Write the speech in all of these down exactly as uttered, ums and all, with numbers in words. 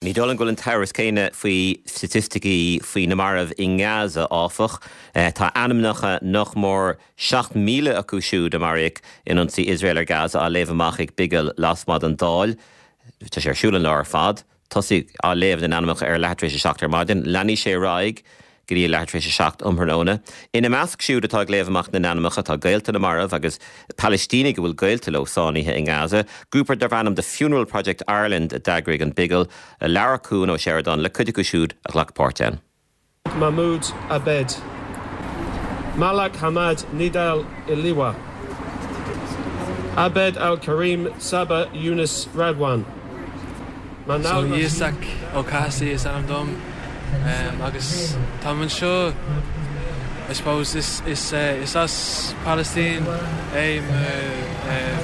Ní dóigh liom go bhfuil an t-amhras céanna faoi staitisticí faoi na mairbh i nGaza áfach. Tá ainmneacha nach mór seacht míle acu siúd a maraíodh in ionsaí Iosrael ar Gaza á léamh amach ag bigil lasmuigh den Dáil. Tá sé ar siúl an lá ar fad. Tosaíodh á léamh na n-ainmneacha ar leath tar éis a seacht ar maidin. Leanfaidh sé ar aghaidh go dtí leath tar éis a seacht um thráthnóna. Ina measc siúd atá ag léamh amach na n-ainmneacha tá gaolta na marbh agus Palaistínigh a bhfuil gaolta leo sáinnithe i nGaza. Grúpa darb ainm The Funeral Project Ireland a d'eagraigh an bigil labhair Cuan Ó Seireadáin le cuid acu siúd a ghlac páirt ann. Mahmoud Abed Malak Hamad Nidal Iliwa Abed Al-Karim Saba Yunus Radwan So Isaac Ó Cathasaigh is ainm dom um, agus tá anseo I suppose is is uh, is as Palestine é uh,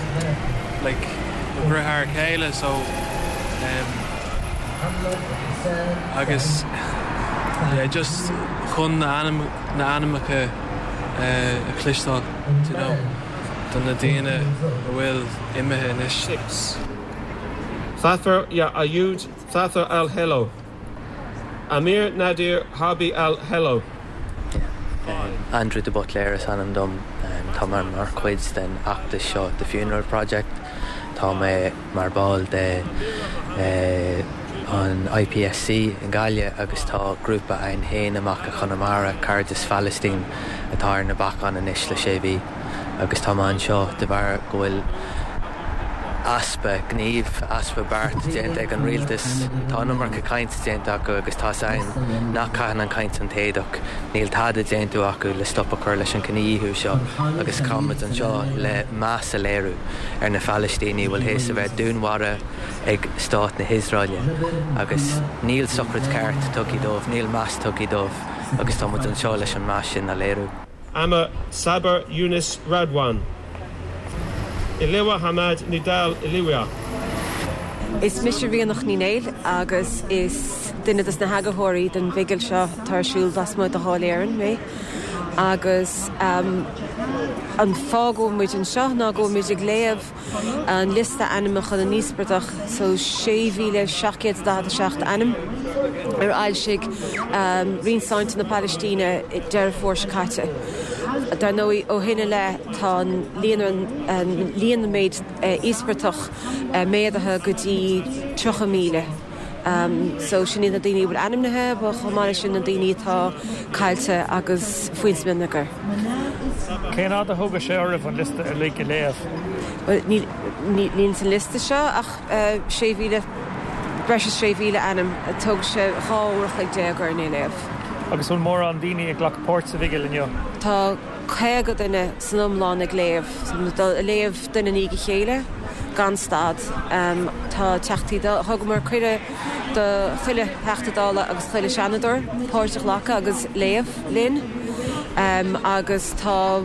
like deartháir céile so um, agus yeah, just chun na ainm na ainmneacha uh, a chloisteáil you know, do na daoine a bhfuil imithe anois. Six. Thafer Ya Ayud Thafer Al Hello Amir Nadir Harbi Al Hello Andrew de Butler is ainm dom tá mar mar chuid den fheachtas seo The Funeral Project Tá mé mar ball de eh, an IPSC i nGaillimh agus tá grúpa againn féin amach i Conamara Cairdeas Phalaistín atá ar na bacáin anois le sé mhí agus tá anseo de bharr go bhfuil easpa gnímh easpa beart déanta ag an rialtas Tá an iomarca caint déanta acu agus tá ein nach caian an caint an téadach níl tada déanta acu le stop a chur leis an gcinedhíothú seo agus táimid anseo le meas a léiriú ar na Palaistínigh bhfuil théis a bheith dúnmharaithe ag stát na hIosraeile agus níl sochraid ceart tugtha dóibh, níl meas tugtha dóibh agus táimid anseo leis an meas sin a léiriú. Amir Saber Yunus Radwan Iliwa Hamad Nidal Iliwa Is mise Ríonach Ní Néill agus is duine des na heagarthóirí den bhigil seo atá ar siúl lasmuigh de Dháil Éireann mé. agus um, an fáth go bhfuil muid anseo ná go bhfuil muid ag léamh an liosta ainmneacha na n-íospartach so sé mhíle seacht gcéad daichead a seacht ainm ar fhoilsigh um, Roinn Sláinte na Palaistíne Deireadh Fómhair seo caite. Dar ndóigh ó shin i leith tá líon líon méid íospartach méadaithe go dtí tríocha míle. Um, so sin na daoine bhfuil ainmnithe ba chomáile sin na daoine atá caillte agus faoin smionagar. Cén fhad a thóg sé oraibh an liosta uilig a léamh? Níl san liosta seo ach sé mhíle breis is sé mhíle ainm thóg sé dhá uair an chloig déag orainn é a léamh. Agus bhfuil mórán daoine ag glacadh páirt sa bhigil inniu. Tá caoga duine san iomlán ag léamh léamh duine i ndiaidh a chéile gan stad. Um, tá teachtaí thugamar cuireadh do chuile Theachta Dála agus chuile Seanadóir páirt a ghlacadh agus léamh linn. Um, agus tá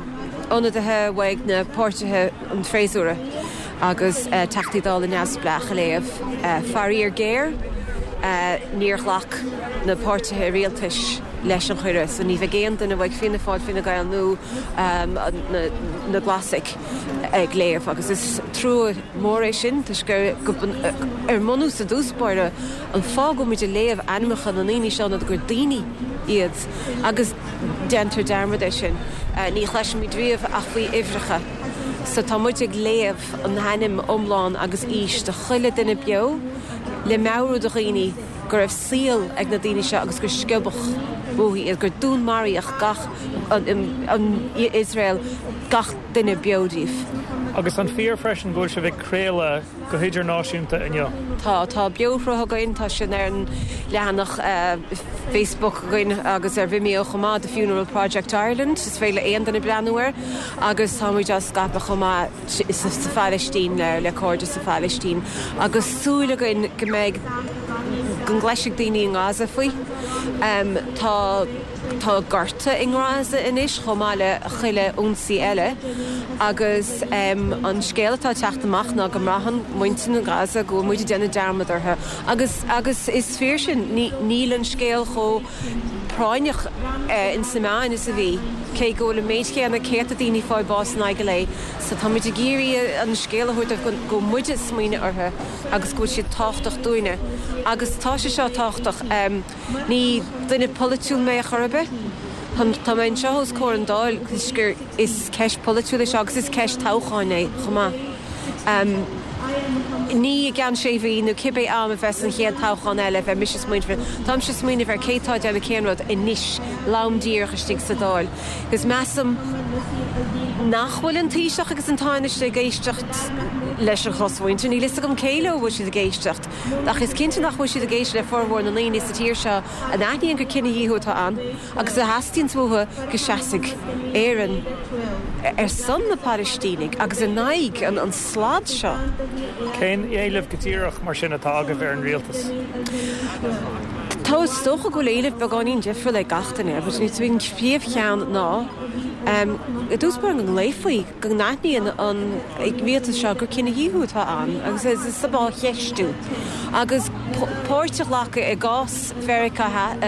ionadaithe uaidh na páirtithe an fhreasúra agus uh, Teachtaí Dála neamhspleách ag léamh. Uh, Faraor géar uh, níor ghlac na páirtithe rialtais leis an chuireadh, so ní bheidh aon duine uaidh Fianna Fáil Fine Gael nó um, na, na Glasaigh ag léamh agus is trua mór é sin toisc gur ar mbunús i dtús báire an fáth go bhfuil muid ag léamh ainmneacha na ndaoine seo ná gur daoine iad agus déantar dearmad air sin. Uh, ní chloisimid riamh ach faoi uimhreacha. So tá muid ag léamh an t-ainm iomlán agus aois de chuile duine beo le meabhrú do dhaoine go raibh saol ag na daoine seo agus gur sciobadh uathu iad gur dúnmaraíodh gach an Iosrael gach duine beo díobh. Agus an fíor freisin go bhfuil sibh ag craoladh go hidirnáisiúnta inniu. Tá tá beoshruth againn tá sin ar an leathanach uh, Facebook againn agus ar Vimeo chomh maith The Funeral Project Ireland is féidir le aon duine breathnú air agus táimid á scaipeadh chomh maith sa Phalaistín le le cairde sa Phalaistín agus súil againn go mbeidh go gcloisfidh daoine i nGaza faoi. Um, tá Tá gorta i nGaza anois chomh maith le chuile ionsaí eile agus an scéal atá ag teacht amach ná go mbraitheann muintir na Gaza go bhfuil muid ag déanamh dearmad orthu agus agus is fíor sin, níl an scéal chomh práinneach ins na meáin is a bhí, cé go bhfuil an méid chéanna céadta daoine ag fáil bás in aghaidh an lae. So tá muid ag iarraidh an scéal a thabhairt dóibh go bhfuil muid ag smaoineamh orthu agus go bhfuil siad tábhachtach dúinne. Agus tá sé seo tábhachtach. Ní duine polaitiúil mé chor ar bith. Tá mé anseo os comhair an Dáil toisc gur is ceist polaitiúil é seo agus is ceist toghcháin é chomh maith. Ní i gceann sé mhí nó cibé am a bheas an chéad toghchán eile bheidh mise ag smaoineamh air. Táimse ag smaoineamh ar cé atá ag déanamh cén rud anois, lom díreach istigh sa Dáil. Agus measaim nach bhfuil an Taoiseach agus an Tánaiste ag éisteacht leis an chosmhuintir. Níl fhios agam cé leo a bhfuil siad ag éisteacht, ach is cinnte nach bhfuil siad ag éisteacht le formhór na ndaoine sa tír seo a n-aithníonn gur cinedhíothú atá ann agus a theastaíonn uathu go seasfaidh Éirinn ar son na Palaistínigh agus in aghaidh an slad seo. Cén éileamh go díreach mar sin atá agaibh ar an rialtas? Tá is dócha go bhfuil éileamh beagáinín difriúil ag gach duine, but an príomhcheann ná i dtús báire go nglaofaí, go n-aithníonn an rialtas seo gur cinedhíothú atá ann agus is á cheistiú agus páirt a ghlacadh i gcás Mheiriceá,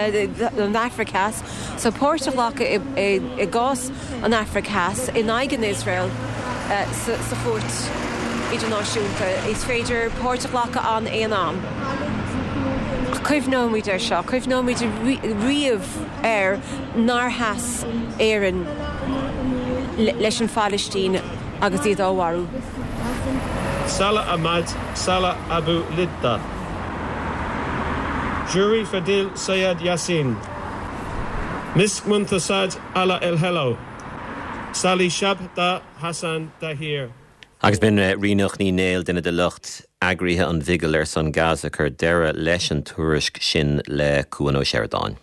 an Afraic Theas, so páirt a ghlacadh i gcás an Afraic Theas in aghaidh an Iosrael sa chúirt idirnáisiúnta. Is féidir páirt a ghlacadh ann aon am. Ach cuimhneoimid air seo, cuimhneoimid riamh air nár sheas Éirinn leis an Phalaistín agus iad á mharú. Salah Ahmad Salah Abu Lidda. Jury Fadil Sayed Yassin. Misk Muntasad Ala El Hello. Sally Shabda Hassan Dahir. Agus b'in Ríonach Ní Néill, duine de lucht eagraithe an Bhigil ar son Gaza, ag cur deireadh leis an tuairisc sin le Cuan Ó Seireadáin.